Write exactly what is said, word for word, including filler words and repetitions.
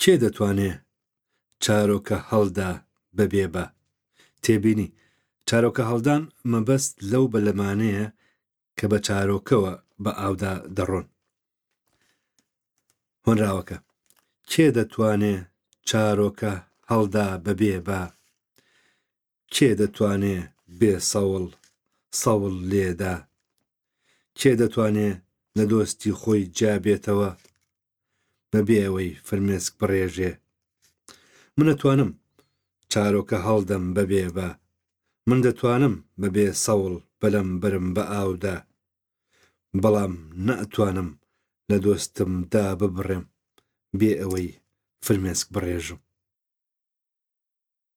کێ دەتوانێ چارۆکە هەڵدا بەبێ با؟ تێبینی، چارۆکە هەڵدان مەبەست لەو بەلەمانەیە کە بە چارۆکەوە بە ئاودا دەڕۆن. هۆنراوەکە، کێ دەتوانێ چارۆکە هەڵدا بەبێ با؟ کێ دەتوانێ بێ سەوڵ سەوڵ لێدا؟ کێ دەتوانێ لە دۆستی خۆی جیا بێتەوە بەبێ ئەوەی فرمێسک بڕێژێ؟ من ئەتوانم چارۆکە هەڵدەم بەبێ با، من دەتوانم بەبێ سەوڵ بەلەم بەرم بە ئاودا، بەڵام نەئەتوانم لە دۆستم داببڕێم بێ ئەوەی فرمێسک بڕێژم.